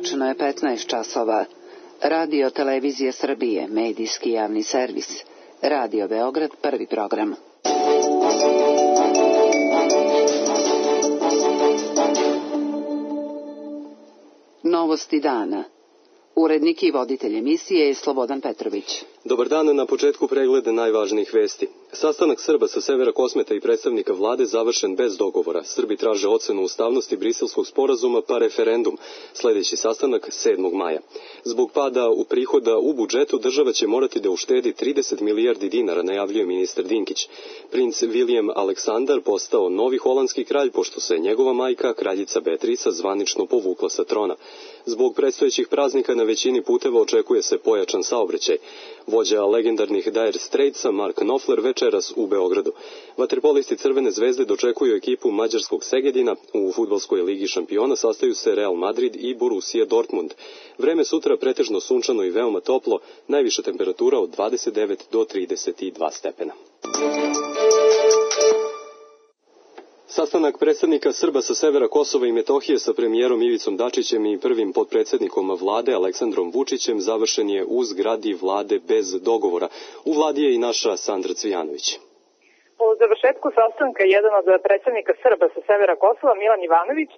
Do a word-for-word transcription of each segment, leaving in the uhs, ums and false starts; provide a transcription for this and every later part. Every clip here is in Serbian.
Tačno je petnaest časova. Radio Televizija Srbije, medijski javni servis. Radio Beograd, prvi program. Novosti dana. Urednik i voditelj emisije je Slobodan Petrović. Dobar dan, na početku pregleda najvažnijih vesti. Sastanak Srba sa severa Kosmeta i predstavnika vlade završen bez dogovora. Srbi traže ocenu ustavnosti Briselskog sporazuma pa referendum. Sljedeći sastanak sedmog maja. Zbog pada u prihoda u budžetu država će morati da uštedi trideset milijardi dinara, najavljuje ministar Dinkić. Princ Vilijem Aleksandar postao novi holandski kralj pošto se njegova majka, kraljica Beatrica, zvanično povukla sa trona. Zbog predstojećih praznika na većini puteva očekuje se pojačan saobraćaj. Vođa legendarnih Dire Straitsa Mark Knopfler večeras u Beogradu. Vaterpolisti Crvene zvezde dočekuju ekipu mađarskog Segedina. U fudbalskoj ligi šampiona sastaju se Real Madrid i Borussia Dortmund. Vreme sutra pretežno sunčano i veoma toplo, najviša temperatura od dvadeset devet do trideset dva stepena. Sastanak predstavnika Srba sa severa Kosova i Metohije sa premijerom Ivicom Dačićem i prvim potpredsjednikom vlade Aleksandrom Vučićem završen je u zgradi vlade bez dogovora. U vladi je i naša Sandra Cvijanović. Po završetku sastanka jedan od predstavnika Srba sa severa Kosova, Milan Ivanović,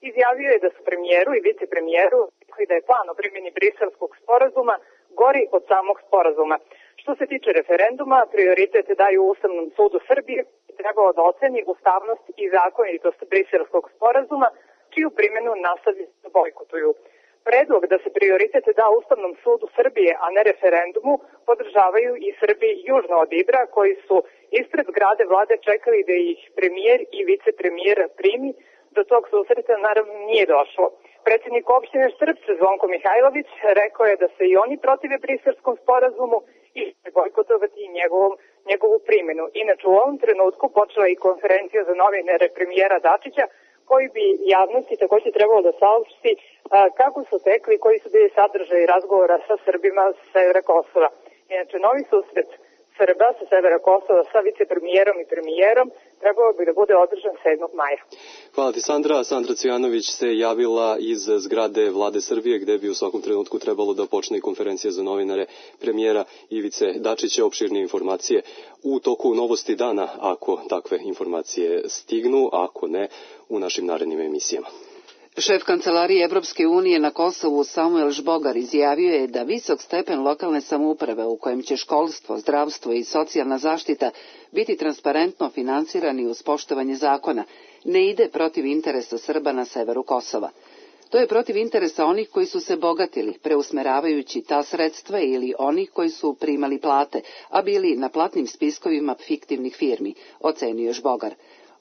izjavio je da su premijeru i vicepremijeru rekli da je plan o primjeni Briselskog sporazuma gori od samog sporazuma. Što se tiče referenduma, prioritet daju Ustavnom sudu Srbije i trebalo da oceni ustavnost i zakonitost Briselskog sporazuma, čiju primjenu nastavlja da bojkotuju. Predlog da se prioritet da Ustavnom sudu Srbije, a ne referendumu, podržavaju i Srbi južno od Ibra, koji su ispred zgrade vlade čekali da ih premijer i vicepremijer primi. Do tog susreta naravno nije došlo. Predsjednik opštine Štrpce Zvonko Mihajlović rekao je da se i oni protive Briselskom sporazumu i će bojkotovati njegovom, njegovu primjenu. Inače, u ovom trenutku počela i konferencija za novinare premijera Dačića, koji bi javnosti također trebalo da saopšti kako su tekli, koji su bili sadržaji razgovora sa Srbima sa severa Kosova. Inače, novi susret Srba sa severa Kosova sa vicepremijerom i premijerom trebalo bi da bude održan sedmog maja. Hvala ti, Sandra. Sandra Cvijanović se javila iz zgrade vlade Srbije, gde bi u svakom trenutku trebalo da počne i konferencija za novinare premijera Ivice Dačića. Opširne informacije u toku Novosti dana, ako takve informacije stignu, ako ne, u našim narednim emisijama. Šef Kancelarije Evropske unije na Kosovu Samuel Žbogar izjavio je da visok stepen lokalne samouprave u kojem će školstvo, zdravstvo i socijalna zaštita biti transparentno finansirani uz poštovanje zakona ne ide protiv interesa Srba na severu Kosova. To je protiv interesa onih koji su se bogatili, preusmeravajući ta sredstva, ili onih koji su primali plate, a bili na platnim spiskovima fiktivnih firmi, ocenio Žbogar.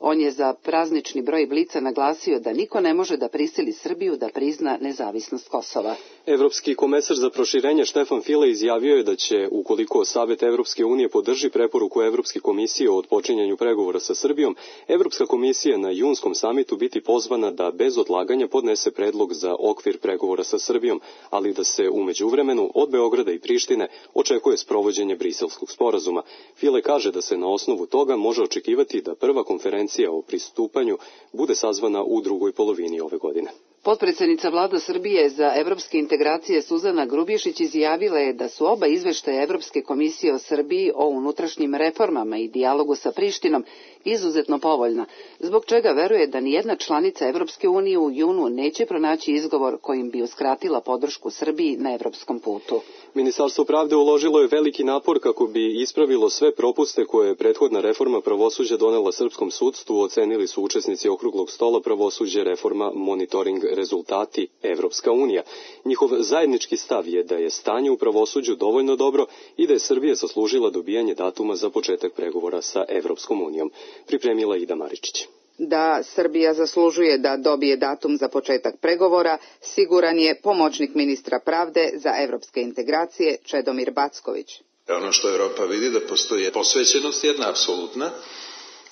On je za praznični broj Blica naglasio da niko ne može da prisili Srbiju da prizna nezavisnost Kosova. Evropski komesar za proširenje Štefan File izjavio je da će, ukoliko Savet Evropske unije podrži preporuku Evropske komisije o otpočinjanju pregovora sa Srbijom, Evropska komisija na junskom samitu biti pozvana da bez odlaganja podnese predlog za okvir pregovora sa Srbijom, ali da se u međuvremenu od Beograda i Prištine očekuje sprovođenje Briselskog sporazuma. File kaže da se na osnovu toga može očekivati da prva konferencija o pristupanju bude sazvana u drugoj polovini ove godine. Potpredsjednica vlada Srbije za evropske integracije Suzana Grubješić izjavila je da su oba izveštaja Evropske komisije o Srbiji o unutrašnjim reformama i dijalogu sa Prištinom izuzetno povoljna, zbog čega veruje da nijedna članica Evropske unije u junu neće pronaći izgovor kojim bi uskratila podršku Srbiji na evropskom putu. Ministarstvo pravde uložilo je veliki napor kako bi ispravilo sve propuste koje je prethodna reforma pravosuđa donela srpskom sudstvu, ocenili su učesnici okruglog stola Pravosuđe, reforma, monitoring, rezultati, Evropska unija. Njihov zajednički stav je da je stanje u pravosuđu dovoljno dobro i da je Srbija zaslužila dobijanje datuma za početak pregovora sa Evropskom unijom. Pripremila Ida Maričić. Da Srbija zaslužuje da dobije datum za početak pregovora, siguran je pomoćnik ministra pravde za evropske integracije Čedomir Backović. Ono što Evropa vidi da postoji posvećenost jedna apsolutna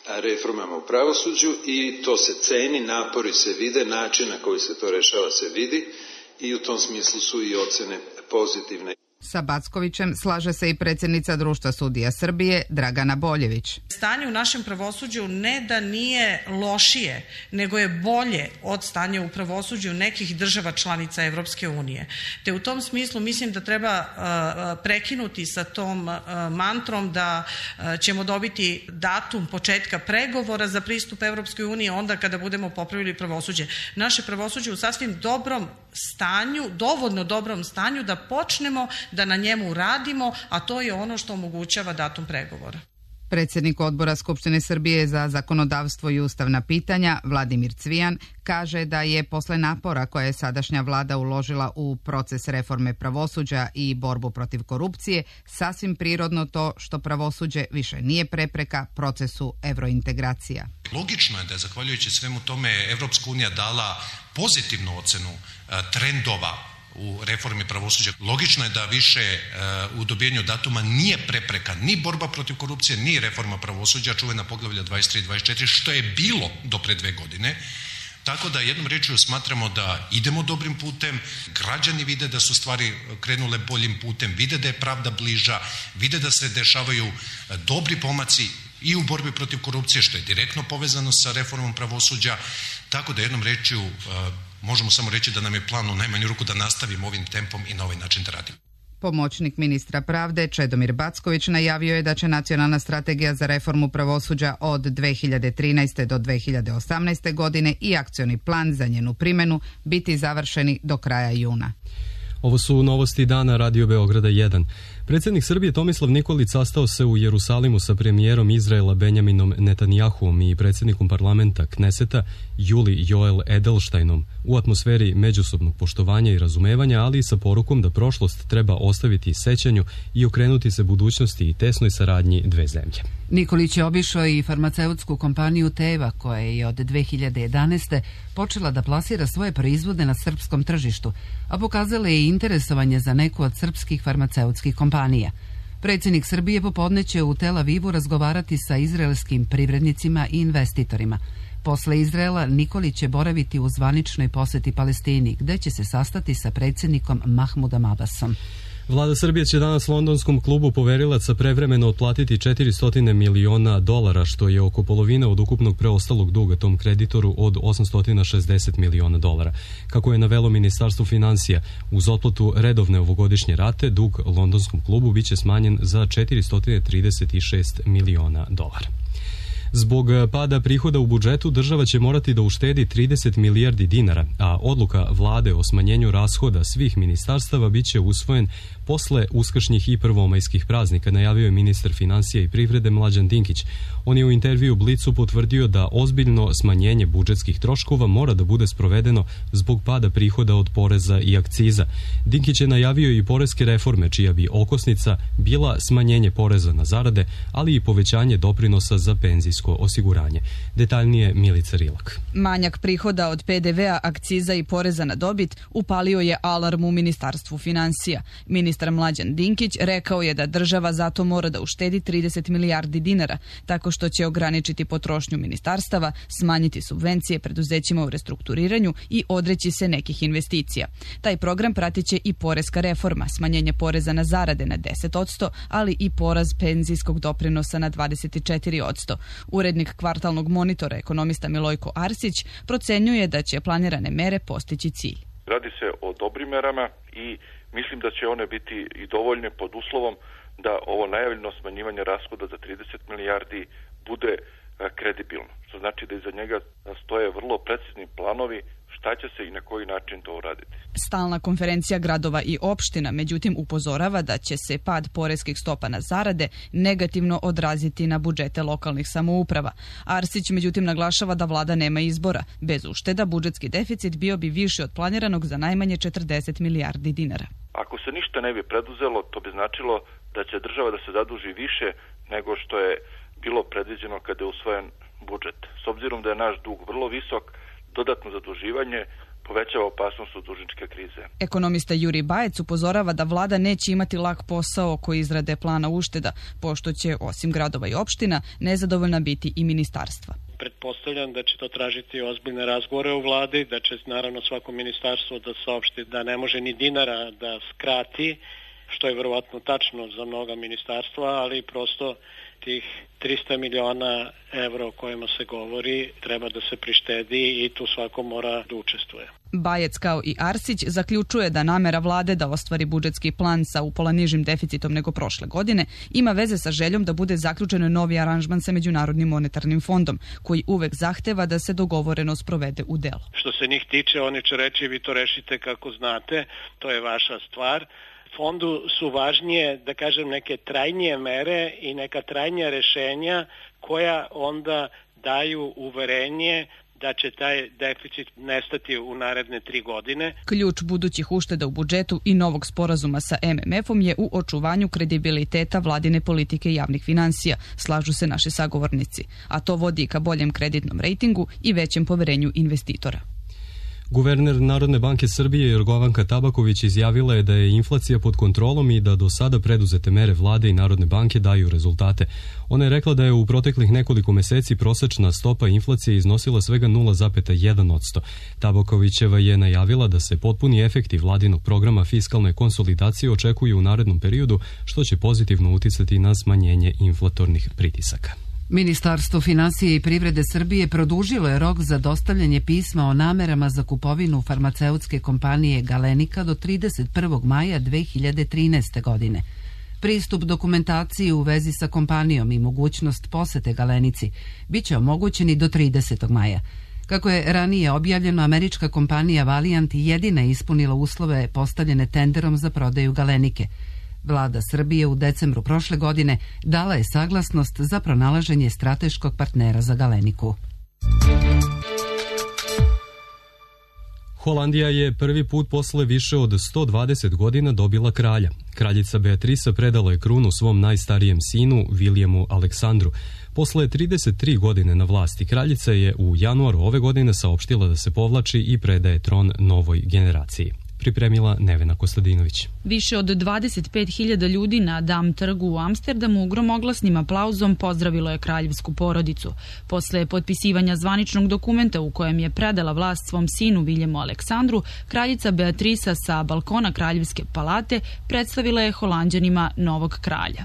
reformama u pravosuđu i to se ceni, napori se vide, način na koji se to rešava se vidi i u tom smislu su i ocene pozitivne. Sa Backovićem slaže se i predsjednica Društva sudija Srbije Dragana Boljević. Stanje u našem pravosuđu ne da nije lošije, nego je bolje od stanja u pravosuđu nekih država članica Evropske unije. Te u tom smislu mislim da treba uh, prekinuti sa tom uh, mantrom da uh, ćemo dobiti datum početka pregovora za pristup Evropskoj uniji onda kada budemo popravili pravosuđe. Naše pravosuđe u sasvim dobrom stanju, dovoljno dobrom stanju da počnemo da na njemu radimo, a to je ono što omogućava datum pregovora. Predsjednik Odbora Skupštine Srbije za zakonodavstvo i ustavna pitanja, Vladimir Cvijan, kaže da je posle napora koje je sadašnja vlada uložila u proces reforme pravosuđa i borbu protiv korupcije, sasvim prirodno to što pravosuđe više nije prepreka procesu evrointegracija. Logično je da je zahvaljujući svemu tome Evropska unija dala pozitivnu ocenu trendova u reformi pravosuđa. Logično je da više uh, u dobijenju datuma nije prepreka ni borba protiv korupcije, ni reforma pravosuđa, čuvena poglavlja dvadeset tri i dvadeset četiri, što je bilo do pre dve godine. Tako da jednom rečju smatramo da idemo dobrim putem, građani vide da su stvari krenule boljim putem, vide da je pravda bliža, vide da se dešavaju dobri pomaci i u borbi protiv korupcije, što je direktno povezano sa reformom pravosuđa. Tako da jednom rečju uh, možemo samo reći da nam je plan u najmanju ruku da nastavimo ovim tempom i na ovaj način da radimo. Pomoćnik ministra pravde Čedomir Backović najavio je da će nacionalna strategija za reformu pravosuđa od dve hiljade trinaeste. do dve hiljade osamnaeste. godine i akcioni plan za njenu primjenu biti završeni do kraja juna. Ovo su novosti dana Radio Beograda jedan. Predsjednik Srbije Tomislav Nikolić sastao se u Jerusalimu sa premijerom Izraela Benjaminom Netanjahuom i predsjednikom parlamenta Kneseta Juli Joel Edelsteinom u atmosferi međusobnog poštovanja i razumevanja, ali i sa porukom da prošlost treba ostaviti sećanju i okrenuti se budućnosti i tesnoj saradnji dve zemlje. Nikolić je obišao i farmaceutsku kompaniju Teva, koja je od dve hiljade jedanaeste. počela da plasira svoje proizvode na srpskom tržištu, a pokazala je i interesovanje za neku od srpskih farmaceutskih kompanija. Predsjednik Srbije popodne će u Tel Avivu razgovarati sa izraelskim privrednicima i investitorima. Posle Izraela Nikolić će boraviti u zvaničnoj posjeti Palestini, gde će se sastati sa predsjednikom Mahmudom Abbasom. Vlada Srbije će danas londonskom klubu poverilaca prevremeno otplatiti četiristo miliona dolara, što je oko polovina od ukupnog preostalog duga tom kreditoru od osamsto šezdeset miliona dolara. Kako je navelo Ministarstvo financija, uz otplatu redovne ovogodišnje rate, dug londonskom klubu biće smanjen za četiristo trideset šest miliona dolara. Zbog pada prihoda u budžetu država će morati da uštedi trideset milijardi dinara, a odluka vlade o smanjenju rashoda svih ministarstava biće usvojen posle uskršnjih i prvomajskih praznika, najavio je ministar financija i privrede Mlađan Dinkić. On je u intervju Blicu potvrdio da ozbiljno smanjenje budžetskih troškova mora da bude sprovedeno zbog pada prihoda od poreza i akciza. Dinkić je najavio i poreske reforme, čija bi okosnica bila smanjenje poreza na zarade, ali i povećanje doprinosa za penzijsko osiguranje. Detaljnije Milica Rilak. Manjak prihoda od pe de vea, akciza i poreza na dobit upalio je alarm u Ministarstvu financija. Ministar Mlađan Dinkić rekao je da država zato mora da uštedi trideset milijardi dinara, tako što će ograničiti potrošnju ministarstava, smanjiti subvencije preduzećima u restrukturiranju i odreći se nekih investicija. Taj program pratiće i poreska reforma, smanjenje poreza na zarade na deset posto, ali i poraz penzijskog doprinosa na dvadeset četiri posto. Urednik kvartalnog monitora, ekonomista Milojko Arsić, procenjuje da će planirane mere postići cilj. Radi se o dobrim merama i mislim da će one biti i dovoljne pod uslovom da ovo najavljeno smanjivanje rashoda za trideset milijardi bude kredibilno. Što znači da iza njega stoje vrlo precizni planovi šta će se i na koji način to uraditi. Stalna konferencija gradova i opština međutim upozorava da će se pad poreskih stopa na zarade negativno odraziti na budžete lokalnih samouprava. Arsić međutim naglašava da vlada nema izbora. Bez ušteda budžetski deficit bio bi viši od planiranog za najmanje četrdeset milijardi dinara. Ako se ništa ne bi preduzelo, to bi značilo da će država da se zaduži više nego što je bilo predviđeno kada je usvojen budžet. S obzirom da je naš dug vrlo visok, dodatno zaduživanje povećava opasnost od dužničke krize. Ekonomista Jurij Bajec upozorava da vlada neće imati lak posao oko izrade plana ušteda, pošto će, osim gradova i opština, nezadovoljna biti i ministarstva. Pretpostavljam da će to tražiti ozbiljne razgovore u vladi, da će naravno svako ministarstvo da saopšti da ne može ni dinara da skrati što je verovatno tačno za mnoga ministarstva, ali prosto tih trista miliona evra o kojima se govori treba da se prištedi i tu svako mora da učestvuje. Bajec kao i Arsić zaključuje da namera vlade da ostvari budžetski plan sa upola nižim deficitom nego prošle godine ima veze sa željom da bude zaključen novi aranžman sa Međunarodnim monetarnim fondom, koji uvek zahteva da se dogovoreno sprovede u delo. Što se njih tiče, oni će reći vi to rešite kako znate, to je vaša stvar. Fondu su važnije, da kažem, neke trajnije mere i neka trajnija rešenja koja onda daju uverenje da će taj deficit nestati u naredne tri godine. Ključ budućih ušteda u budžetu i novog sporazuma sa M M F-om je u očuvanju kredibiliteta vladine politike javnih finansija, slažu se naši sagovornici, a to vodi ka boljem kreditnom rejtingu i većem poverenju investitora. Guverner Narodne banke Srbije Jorgovanka Tabaković izjavila je da je inflacija pod kontrolom i da do sada preduzete mere vlade i Narodne banke daju rezultate. Ona je rekla da je u proteklih nekoliko meseci prosečna stopa inflacije iznosila svega nula zarez jedan posto. Tabakovićeva je najavila da se potpuni efekti vladinog programa fiskalne konsolidacije očekuju u narednom periodu, što će pozitivno uticati na smanjenje inflatornih pritisaka. Ministarstvo finansije i privrede Srbije produžilo je rok za dostavljanje pisma o namerama za kupovinu farmaceutske kompanije Galenika do trideset prvog maja dve hiljade trinaeste. godine. Pristup dokumentaciji u vezi sa kompanijom i mogućnost posete Galenici biće omogućeni do tridesetog maja. Kako je ranije objavljeno, američka kompanija Valiant jedina je ispunila uslove postavljene tenderom za prodaju Galenike. Vlada Srbije u decembru prošle godine dala je saglasnost za pronalaženje strateškog partnera za Galeniku. Holandija je prvi put posle više od sto dvadeset godina dobila kralja. Kraljica Beatrisa predala je krunu svom najstarijem sinu, Vilijemu Aleksandru. Posle trideset tri godine na vlasti, kraljica je u januaru ove godine saopštila da se povlači i predaje tron novoj generaciji. Pripremila Nevena Kostadinović. Više od dvadeset pet hiljada ljudi na Dam trgu u Amsterdamu gromoglasnim aplauzom pozdravilo je kraljevsku porodicu. Posle potpisivanja zvaničnog dokumenta u kojem je predala vlast svom sinu Viljemu Aleksandru, kraljica Beatrisa sa balkona kraljevske palate predstavila je Holanđanima novog kralja.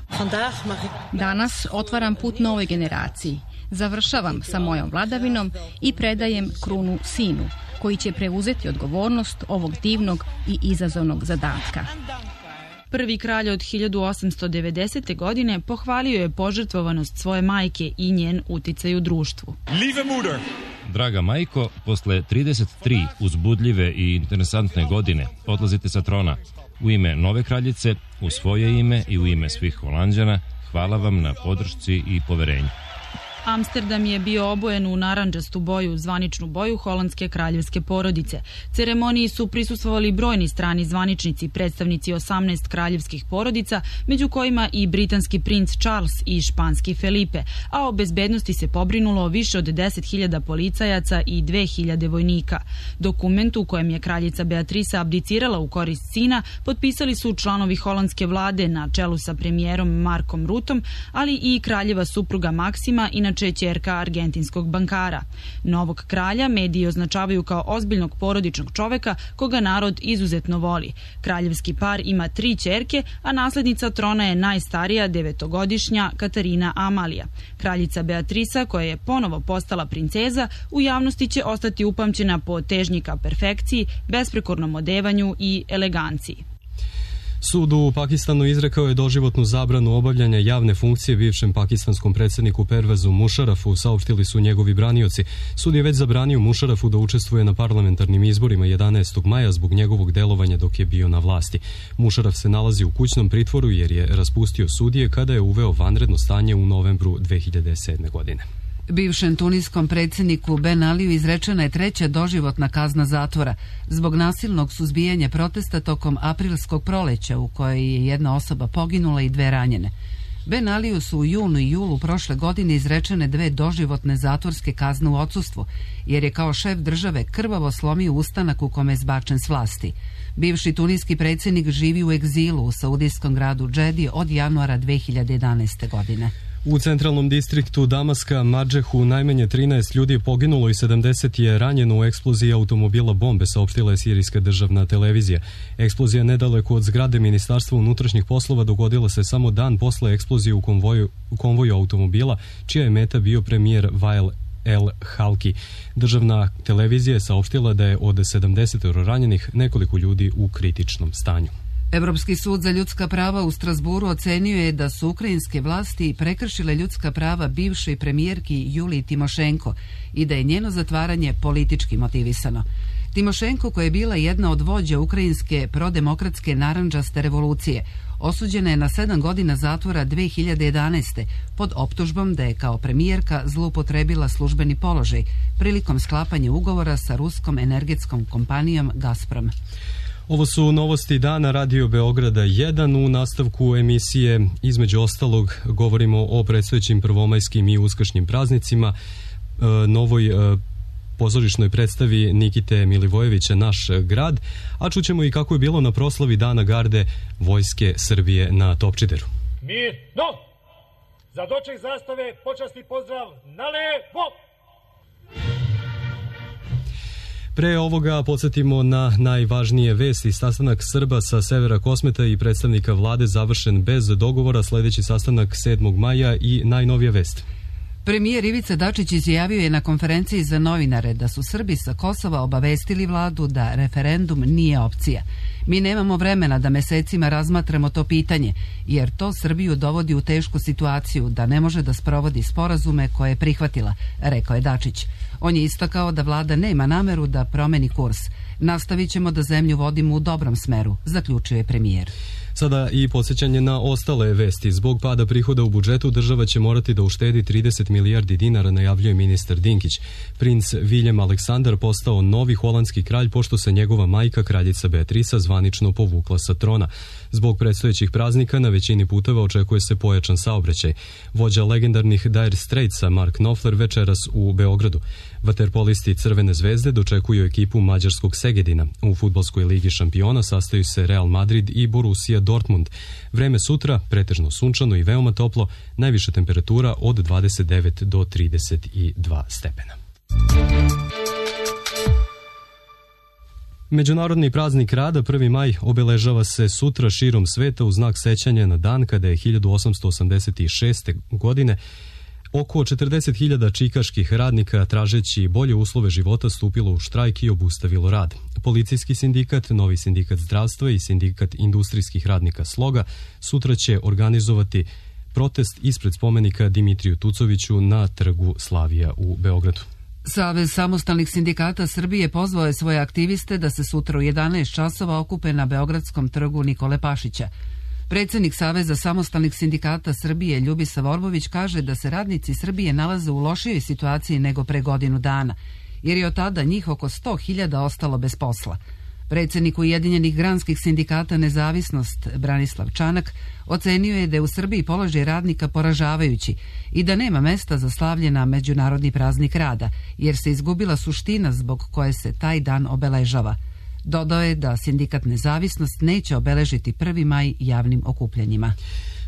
Danas otvaram put novoj generaciji. Završavam sa mojom vladavinom i predajem krunu sinu, koji će preuzeti odgovornost ovog divnog i izazovnog zadatka. Prvi kralj od hiljadu osamsto devedesete. godine pohvalio je požrtvovanost svoje majke i njen uticaj u društvu. Draga majko, posle trideset tri uzbudljive i interesantne godine odlazite sa trona. U ime nove kraljice, u svoje ime i u ime svih Holanđana, hvala vam na podršci i poverenju. Amsterdam je bio obojen u narandžastu boju, zvaničnu boju holandske kraljevske porodice. Ceremoniji su prisustvovali brojni strani zvaničnici, predstavnici osamnaest kraljevskih porodica, među kojima i britanski princ Charles i španski Felipe, a o bezbednosti se pobrinulo više od deset hiljada policajaca i dve hiljade vojnika. Dokument u kojem je kraljica Beatrisa abdicirala u korist sina potpisali su članovi holandske vlade na čelu sa premijerom Markom Rutom, ali i kraljeva supruga Maksima i na ćerka argentinskog bankara. Novog kralja mediji označavaju kao ozbiljnog porodičnog čoveka koga narod izuzetno voli. Kraljevski par ima tri ćerke, a naslednica trona je najstarija devetogodišnja Katarina Amalija. Kraljica Beatrisa, koja je ponovo postala princeza, u javnosti će ostati upamćena po težnji ka perfekciji, besprekornom odevanju i eleganciji. Sud u Pakistanu izrekao je doživotnu zabranu obavljanja javne funkcije bivšem pakistanskom predsjedniku Pervezu Mušarafu, saopštili su njegovi branioci. Sud je već zabranio Mušarafu da učestvuje na parlamentarnim izborima jedanaestog maja zbog njegovog delovanja dok je bio na vlasti. Mušaraf se nalazi u kućnom pritvoru jer je raspustio sudije kada je uveo vanredno stanje u novembru dve hiljade sedme. godine. Bivšem tuniskom predsjedniku Ben Aliju izrečena je treća doživotna kazna zatvora zbog nasilnog suzbijanja protesta tokom aprilskog proleća u kojoj je jedna osoba poginula i dve ranjene. Ben Aliju su u junu i julu prošle godine izrečene dve doživotne zatvorske kazne u odsustvu, jer je kao šef države krvavo slomio ustanak u kome je zbačen s vlasti. Bivši tuniski predsjednik živi u egzilu u saudijskom gradu Džedi od januara dve hiljade jedanaeste. godine. U centralnom distriktu Damaska, Madžehu, najmanje trinaest ljudi je poginulo i sedamdeset je ranjeno u eksploziji automobila bombe, saopštila je sirijska državna televizija. Eksplozija nedaleko od zgrade Ministarstva unutrašnjih poslova dogodila se samo dan posle eksplozije u konvoju, u konvoju automobila, čija je meta bio premijer Wael El Halki. Državna televizija je saopštila da je od sedamdeset ranjenih nekoliko ljudi u kritičnom stanju. Evropski sud za ljudska prava u Strasburu ocenio je da su ukrajinske vlasti prekršile ljudska prava bivšoj premijerki Juliji Timošenko i da je njeno zatvaranje politički motivisano. Timošenko, koja je bila jedna od vođa ukrajinske prodemokratske narandžaste revolucije, osuđena je na sedam godina zatvora dve hiljade jedanaeste pod optužbom da je kao premijerka zloupotrebila službeni položaj prilikom sklapanja ugovora sa ruskom energetskom kompanijom Gazprom. Ovo su novosti dana Radio Beograda jedan. U nastavku emisije, između ostalog, govorimo o predstojećim prvomajskim i uskršnjim praznicima, novoj pozorišnoj predstavi Nikite Milivojevića Naš grad, a čućemo i kako je bilo na proslavi Dana garde Vojske Srbije na Topčideru. Mirno! Za doček zastave počasni pozdrav na levo! Pre ovoga podsjetimo na najvažnije vesti. Sastanak Srba sa severa Kosmeta i predstavnika vlade završen bez dogovora, sledeći sastanak sedmog maja i najnovija vest. Premijer Ivica Dačić izjavio je na konferenciji za novinare da su Srbi sa Kosova obavestili vladu da referendum nije opcija. Mi nemamo vremena da mesecima razmatramo to pitanje, jer to Srbiju dovodi u tešku situaciju da ne može da sprovodi sporazume koje je prihvatila, rekao je Dačić. On je istakao da vlada nema nameru da promeni kurs. Nastavit ćemo da zemlju vodimo u dobrom smeru, zaključio je premijer. Sada i podsjećanje na ostale vesti. Zbog pada prihoda u budžetu država će morati da uštedi trideset milijardi dinara, najavljuje ministar Dinkić. Princ Viljem Aleksandar postao novi holandski kralj pošto se njegova majka, kraljica Beatrisa, zvanično povukla sa trona. Zbog predstojećih praznika na većini puteva očekuje se pojačan saobraćaj. Vođa legendarnih Dire Straitsa Mark Knopfler večeras u Beogradu. Vaterpolisti Crvene zvezde dočekuju ekipu mađarskog Segedina. U fudbalskoj ligi šampiona sastaju se Real Madrid i Borussia Dortmund. Vreme sutra pretežno sunčano i veoma toplo, najviša temperatura od dvadeset devet do trideset dva stepena. Međunarodni praznik rada prvi maj obeležava se sutra širom sveta u znak sećanja na dan kada je hiljadu osamsto osamdeset šeste. godine oko četrdeset hiljada čikaških radnika, tražeći bolje uslove života, stupilo u štrajk i obustavilo rad. Policijski sindikat, Novi sindikat zdravstva i sindikat industrijskih radnika Sloga sutra će organizovati protest ispred spomenika Dimitriju Tucoviću na trgu Slavija u Beogradu. Savez samostalnih sindikata Srbije pozvao je svoje aktiviste da se sutra u jedanaest časova okupe na Beogradskom trgu Nikole Pašića. Predsjednik Saveza samostalnih sindikata Srbije Ljubisa Vorbović kaže da se radnici Srbije nalaze u lošijoj situaciji nego pre godinu dana, jer je od tada njih oko sto hiljada ostalo bez posla. Predsjednik Ujedinjenih granskih sindikata Nezavisnost Branislav Čanak ocenio je da je u Srbiji položaj radnika poražavajući i da nema mesta za slavlje na Međunarodni praznik rada, jer se izgubila suština zbog koje se taj dan obeležava. Dodao je da sindikat Nezavisnost neće obeležiti prvi maj javnim okupljanjima.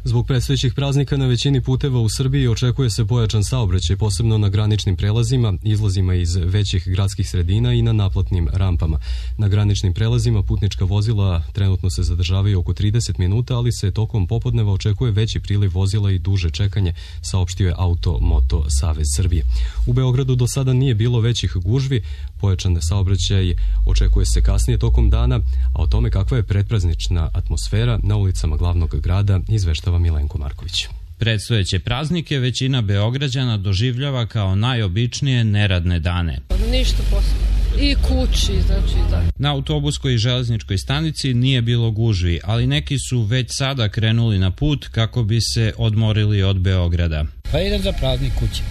Zbog predstojećih praznika na većini puteva u Srbiji očekuje se pojačan saobraćaj, posebno na graničnim prelazima, izlazima iz većih gradskih sredina i na naplatnim rampama. Na graničnim prelazima putnička vozila trenutno se zadržavaju oko trideset minuta, ali se tokom popodneva očekuje veći priliv vozila i duže čekanje, saopštio je Auto Moto Savez Srbije. U Beogradu do sada nije bilo većih gužvi, pojačan saobraćaj očekuje se kasnije tokom dana, a o tome kakva je predpraznična atmosfera na ulicama glavnog grada izveštava Milenko Marković. Predstojeće praznike većina Beograđana doživljava kao najobičnije neradne dane. Ništa posebno. I kući, znači da. Na autobuskoj i železničkoj stanici nije bilo gužvi, ali neki su već sada krenuli na put kako bi se odmorili od Beograda. Pa idem za praznik kući,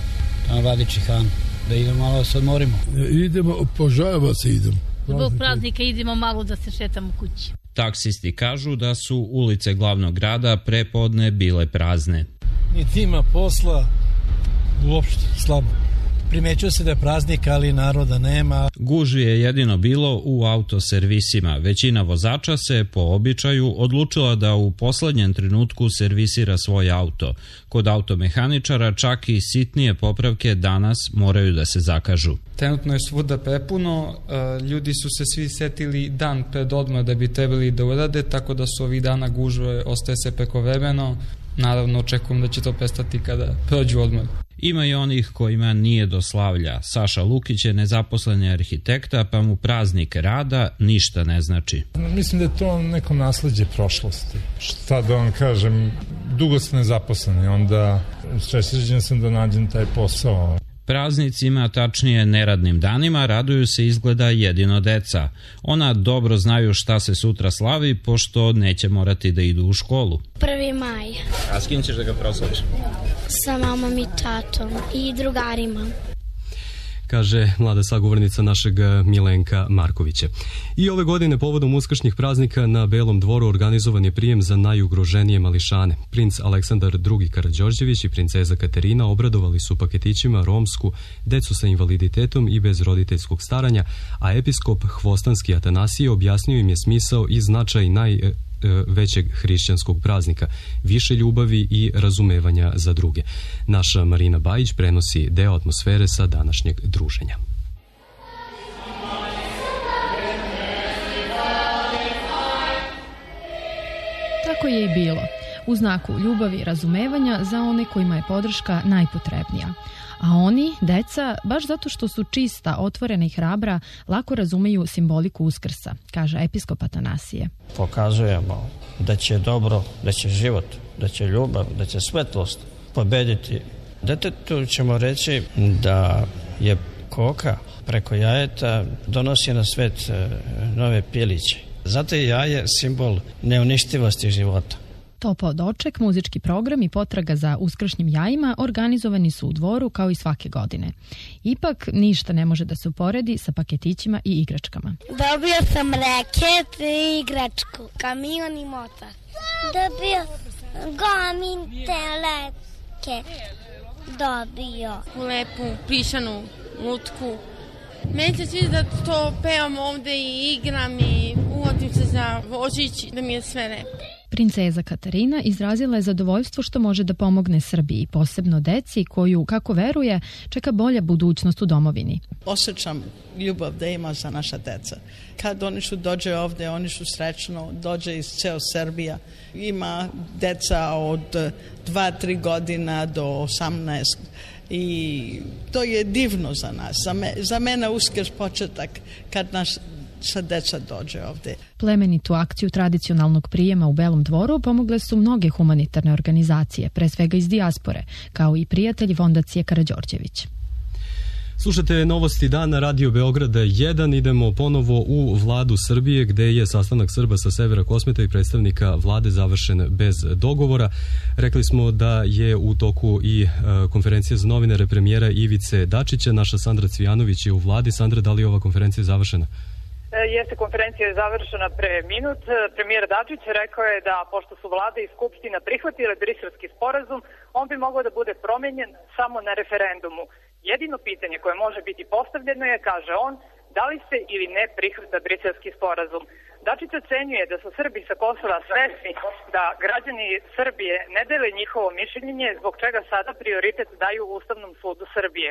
tamo vadi čihanu, da idemo malo da se odmorimo. Idemo, požava se idemo. Zbog praznika idemo malo da se šetamo kući. Taksisti kažu da su ulice glavnog grada prepodne bile prazne. Niti ima posla, uopšte slabo. Primećuje se da je praznik, ali naroda nema. Gužvi je jedino bilo u autoservisima. Većina vozača se po običaju odlučila da u poslednjem trenutku servisira svoj auto. Kod automehaničara čak i sitnije popravke danas moraju da se zakažu. Trenutno je svuda prepuno, ljudi su se svi setili dan pred odmor da bi trebali da urade, tako da su ovih dana gužve ostaje se prekovremeno. Naravno, očekujem da će to prestati kada prođu odmor. Ima i onih kojima nije do slavlja. Saša Lukić je nezaposleni arhitekta, pa mu praznik rada ništa ne znači. Mislim da je to neko nasleđe prošlosti. Šta da vam kažem, dugo sam nezaposlen i onda srećan sam da nađem taj posao. Praznicima, tačnije neradnim danima, raduju se izgleda jedino deca. Ona dobro znaju šta se sutra slavi, pošto neće morati da idu u školu. prvi maj. A s kim ćeš da ga proslaviš? Sa mamom i tatom i drugarima. Kaže mlada sagovornica našeg Milenka Markovića. I ove godine povodom uskršnjih praznika na Belom dvoru organizovan je prijem za najugroženije mališane. Princ Aleksandar drugi Karađorđević i princeza Katerina obradovali su paketićima romsku decu sa invaliditetom i bez roditeljskog staranja, a episkop Hvostanski Atanasije objasnio im je smisao i značaj naj većeg hrišćanskog praznika, više ljubavi i razumevanja za druge. Naša Marina Bajić prenosi deo atmosfere sa današnjeg druženja. Tako je i bilo, u znaku ljubavi i razumevanja za one kojima je podrška najpotrebnija. A oni, deca, baš zato što su čista, otvorena i hrabra, lako razumeju simboliku Uskrsa, kaže episkop Atanasije. Pokazujemo da će dobro, da će život, da će ljubav, da će svetlost pobediti. Detetu ćemo reći da je koka preko jajeta donosi na svet nove piliće. Zato je jaje simbol neuništivosti života. Topao doček, muzički program i potraga za uskršnjim jajima organizovani su u dvoru kao i svake godine. Ipak ništa ne može da se uporedi sa paketićima i igračkama. Dobio sam reket i igračku, kamion i motor. Dobio gomin teleke. Dobio lepu pišanu lutku. Meni se sviđa da to pevam ovde i igram i uvodim se za Božić, da mi je sve lepo. Princeza Katarina izrazila je zadovoljstvo što može da pomogne Srbiji, posebno deci koju, kako veruje, čeka bolja budućnost u domovini. Osjećam ljubav da ima za naša deca. Kad oni su dođe ovde, oni su srećno, dođe iz ceo Srbija. Ima deca od dva tri godina do osamnaest i to je divno za nas. Za, me, za mene Uskrs početak kad naš sa deca dođe ovde. Plemenitu akciju tradicionalnog prijema u Belom dvoru pomogle su mnoge humanitarne organizacije, pre svega iz dijaspore, kao i prijatelji fondacije Karađorđević. Slušate novosti dana Radio Beograda jedan. Idemo ponovo u vladu Srbije gde je sastanak Srba sa severa Kosmeta i predstavnika vlade završen bez dogovora. Rekli smo da je u toku i konferencija za novinare premijera Ivice Dačića. Naša Sandra Cvijanović je u vladi. Sandra, da li je ova konferencija završena? Jeste, konferencija je završena pre minut. Premijer Dačić rekao je da pošto su vlada i skupština prihvatile briselski sporazum, on bi mogao da bude promenjen samo na referendumu. Jedino pitanje koje može biti postavljeno je, kaže on, da li se ili ne prihvata briselski sporazum. Dačić ocenjuje da su Srbi sa Kosova svesni da građani Srbije ne dele njihovo mišljenje, zbog čega sada prioritet daju Ustavnom sudu Srbije.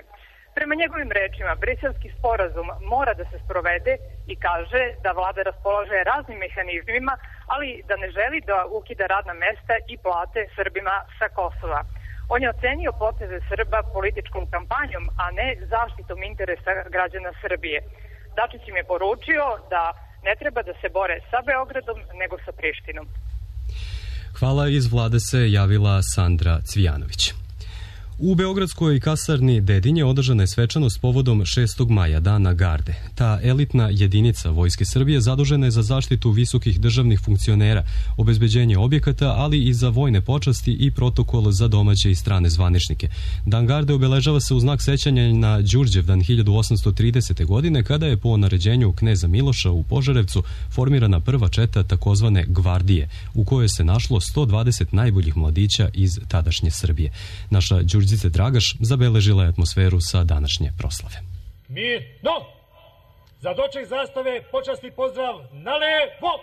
Prema njegovim rečima, briselski sporazum mora da se sprovede i kaže da vlada raspolaže raznim mehanizmima, ali da ne želi da ukida radna mesta i plate Srbima sa Kosova. On je ocenio poteze Srba političkom kampanjom, a ne zaštitom interesa građana Srbije. Dačić im je poručio da ne treba da se bore sa Beogradom, nego sa Prištinom. Hvala, iz vlade se javila Sandra Cvijanović. U beogradskoj kasarni Dedinje održana je svečanost povodom šestog maja, Dana garde. Ta elitna jedinica Vojske Srbije zadužena je za zaštitu visokih državnih funkcionera, obezbeđenje objekata, ali i za vojne počasti i protokol za domaće i strane zvaničnike. Dan garde obeležava se u znak sećanja na Đurđevdan hiljadu osamsto tridesete. godine, kada je po naređenju kneza Miloša u Požarevcu formirana prva četa takozvane gvardije, u kojoj se našlo sto dvadeset najboljih mladića iz tadašnje Srbije. Naša Đurđevdan Đurđice Dragaš zabeležila je atmosferu sa današnje proslave. Mir, no! Za doček zastave počasni pozdrav na levo!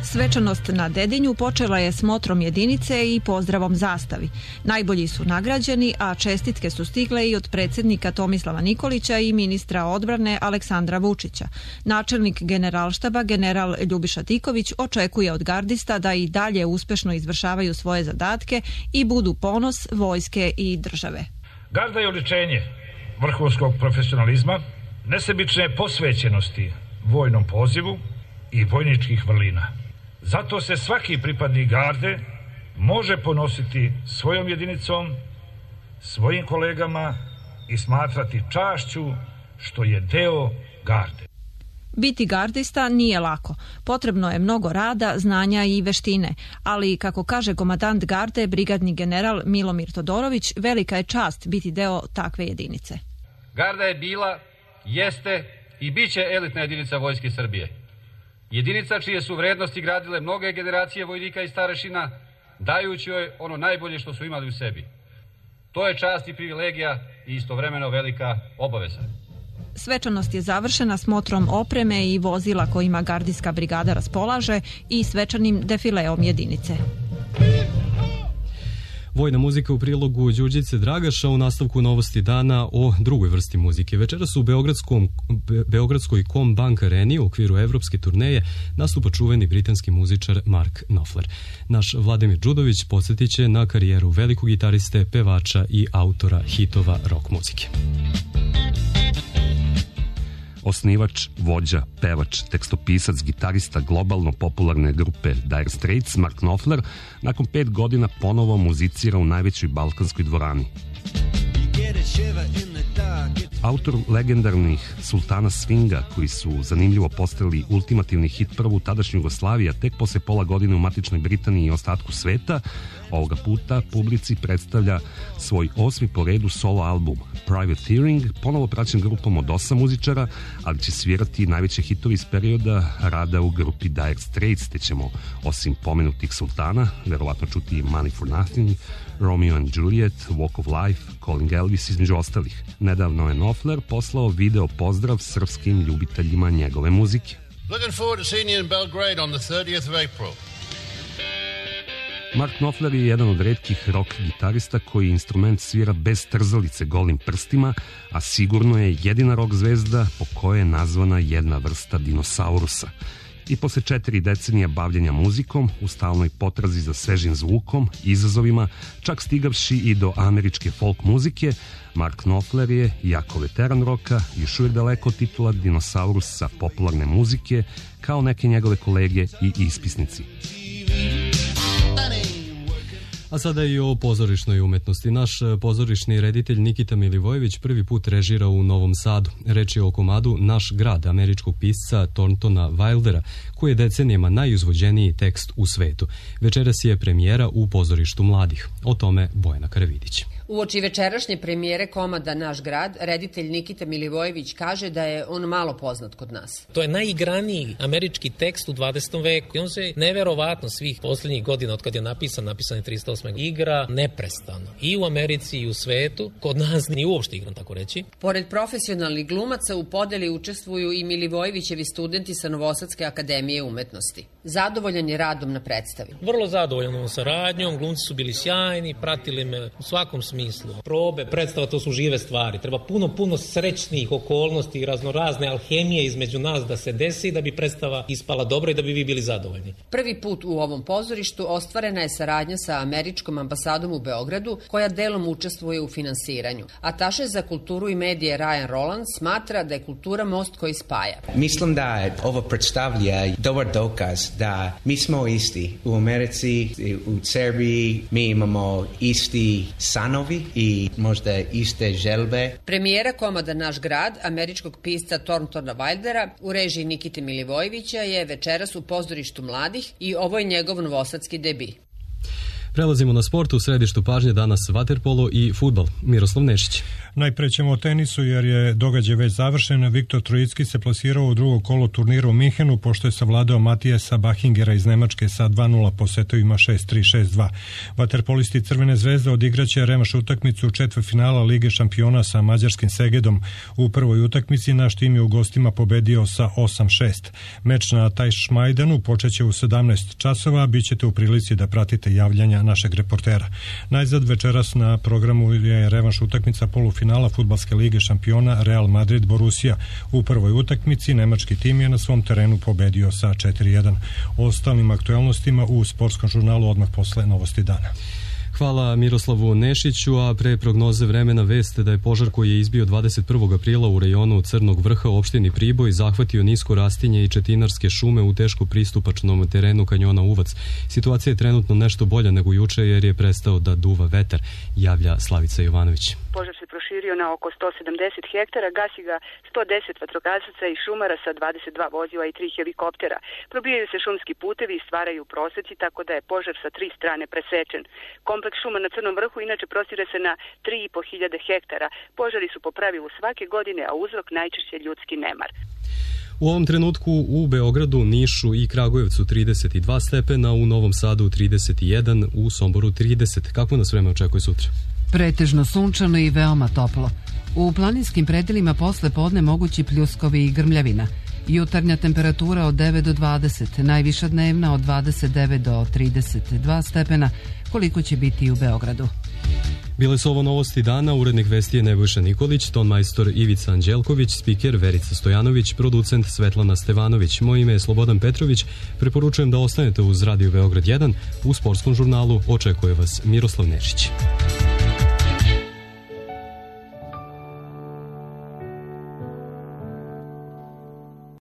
Svečanost na Dedinju počela je smotrom jedinice i pozdravom zastavi. Najbolji su nagrađeni, a čestitke su stigle i od predsjednika Tomislava Nikolića i ministra odbrane Aleksandra Vučića. Načelnik generalštaba general Ljubiša Tiković očekuje od gardista da i dalje uspešno izvršavaju svoje zadatke i budu ponos vojske i države. Garda je oličenje vrhunskog profesionalizma, nesebične posvećenosti vojnom pozivu i vojničkih vrlina. Zato se svaki pripadnik garde može ponositi svojom jedinicom, svojim kolegama i smatrati čašću što je deo garde. Biti gardista nije lako. Potrebno je mnogo rada, znanja i veštine, ali kako kaže komandant garde, brigadni general Milomir Todorović, velika je čast biti deo takve jedinice. Garda je bila, jeste i bit će elitna jedinica Vojske Srbije. Jedinica čije su vrednosti gradile mnoge generacije vojnika i starešina, dajući joj ono najbolje što su imali u sebi. To je čast i privilegija i istovremeno velika obaveza. Svečanost je završena smotrom opreme i vozila kojima gardijska brigada raspolaže i svečanim defileom jedinice. Vojna muzika u prilogu Đurđice Dragaša, u nastavku novosti dana o drugoj vrsti muzike. Večeras u Beogradskom, Be, Beogradskoj Combank Areni u okviru evropske turneje nastupa čuveni britanski muzičar Mark Knopfler. Naš Vladimir Đudović podsjetit će na karijeru velikog gitariste, pevača i autora hitova rock muzike. Osnivač, vođa, pevač, tekstopisac, gitarista globalno popularne grupe Dire Straits, Mark Knopfler, nakon pet godina ponovo muzicira u najvećoj balkanskoj dvorani. Autor legendarnih Sultana Swinga, koji su zanimljivo postali ultimativni hit prvu tadašnju Jugoslaviju, tek posle pola godine u matičnoj Britaniji i ostatku sveta, ovoga puta publici predstavlja svoj osmi po redu solo album Privateering, ponovo praćen grupom od osam muzičara, ali će svirati najveće hitovi iz perioda rada u grupi Dire Straits, te ćemo, osim pomenutih Sultana, verovatno čuti Money for Nothing, Romeo and Juliet, Walk of Life, Calling Elvis, između ostalih. Nedavno je Knopfler poslao video pozdrav srpskim ljubiteljima njegove muzike. Looking forward to seeing you in Belgrade on the thirtieth of April. Mark Knopfler je jedan od retkih rock gitarista koji instrument svira bez trzalice golim prstima, a sigurno je jedina rock zvezda po kojoj je nazvana jedna vrsta dinosaurusa. I posle četiri decenija bavljenja muzikom, u stalnoj potrazi za svežim zvukom, izazovima, čak stigavši i do američke folk muzike, Mark Knopfler je, jako veteran roka, još uvijek daleko od titula dinosaurusa popularne muzike, kao neke njegove kolege i ispisnici. A sada i o pozorišnoj umetnosti. Naš pozorišni reditelj Nikita Milivojević prvi put režira u Novom Sadu. Reč je o komadu Naš grad američkog pisca Thorntona Wildera, koji je decenijama najuzvođeniji tekst u svetu. Večeras je premijera u pozorištu mladih. O tome Bojana Karavidić. Uoči večerašnje premijere komada Naš grad, reditelj Nikita Milivojević kaže da je on malo poznat kod nas. To je najigraniji američki tekst u dvadesetom veku i on se neverovatno svih posljednjih godina od kad je napisan, napisan je trista osme igra neprestano. I u Americi i u svetu, kod nas nije uopšte igran, tako reći. Pored profesionalnih glumaca u podeli učestvuju i Milivojevićevi studenti sa Novosadske akademije umetnosti. Zadovoljan je radom na predstavi. Vrlo zadovoljan ovom saradnjom, glumci su bili sjajni, pratili me u svakom smislu. Probe, predstava, to su žive stvari. Treba puno, puno srećnih okolnosti i raznorazne alhemije između nas da se desi da bi predstava ispala dobro i da bi vi bili zadovoljni. Prvi put u ovom pozorištu ostvarena je saradnja sa američkom ambasadom u Beogradu, koja delom učestvuje u finansiranju. Ataše za kulturu i medije Ryan Roland smatra da je kultura most koji spaja. Mislim da ovo predstavlja dobar dokaz da mi smo isti. U Americi, u Srbiji mi imamo isti sanovi i možda iste želbe. Premijera komada Naš grad, američkog pisca Thorntona Wildera, u režiji Nikite Milivojevića je večeras u pozorištu mladih i ovo je njegov novosadski debi. Prelazimo na sport, u središtu pažnje danas vaterpolo i fudbal. Miroslav Nešić. Najpre ćemo o tenisu jer je događaj već završen. Viktor Trojicki se plasirao u drugo kolo turnira u Minhenu pošto je savladao Matijasa Bahingera iz Nemačke sa dva nula po setovima šest tri šest dva. Vaterpolisti Crvene zvezde odigraće revanš utakmicu četvrtfinala Lige šampiona sa mađarskim Segedom. U prvoj utakmici naš tim je u gostima pobedio sa osam šest. Meč na Tajšmajdanu počeće u sedamnaest časova, bit ćete u prilici da pratite javljanja našeg reportera. Najzad večeras na programu je revanš utakmica polufinala Fudbalske lige šampiona Real Madrid Borussia. U prvoj utakmici nemački tim je na svom terenu pobedio sa četiri jedan. O ostalim aktualnostima u sportskom žurnalu odmah posle novosti dana. Hvala Miroslavu Nešiću, a pre prognoze vremena veste da je požar koji je izbio dvadeset prvog aprila u rejonu Crnog vrha u opštini Priboj zahvatio nisko rastinje i četinarske šume u teško pristupačnom terenu kanjona Uvac. Situacija je trenutno nešto bolja nego juče jer je prestao da duva vetar, javlja Slavica Jovanović. Požar se proširio na oko sto sedamdeset hektara, gasi ga sto deset vatrogasaca i šumara sa dvadeset dva vozila i tri helikoptera. Probijaju se šumski putevi i stvaraju proseci, tako da je požar sa tri strane presečen. Kompleks šuma na Crnom vrhu inače prostire se na tri i po hiljade hektara. Požari su po pravilu svake godine, a uzrok najčešće ljudski nemar. U ovom trenutku u Beogradu, Nišu i Kragujevcu trideset dva stepena, u Novom Sadu trideset jedan, u Somboru trideset. Kako nas vreme očekuje sutra? Pretežno sunčano i veoma toplo. U planinskim predelima posle podne mogući pljuskovi i grmljavina. Jutarnja temperatura od devet do dvadeset, najviša dnevna od dvadeset devet do trideset dva stepena, koliko će biti u Beogradu. Bile su ovo novosti dana, urednik vesti je Nebojša Nikolić, tonmajstor Ivica Anđelković, spiker Verica Stojanović, producent Svetlana Stevanović. Moje ime je Slobodan Petrović, preporučujem da ostanete uz Radio Beograd jedan, u sportskom žurnalu očekuje vas Miroslav Nešić.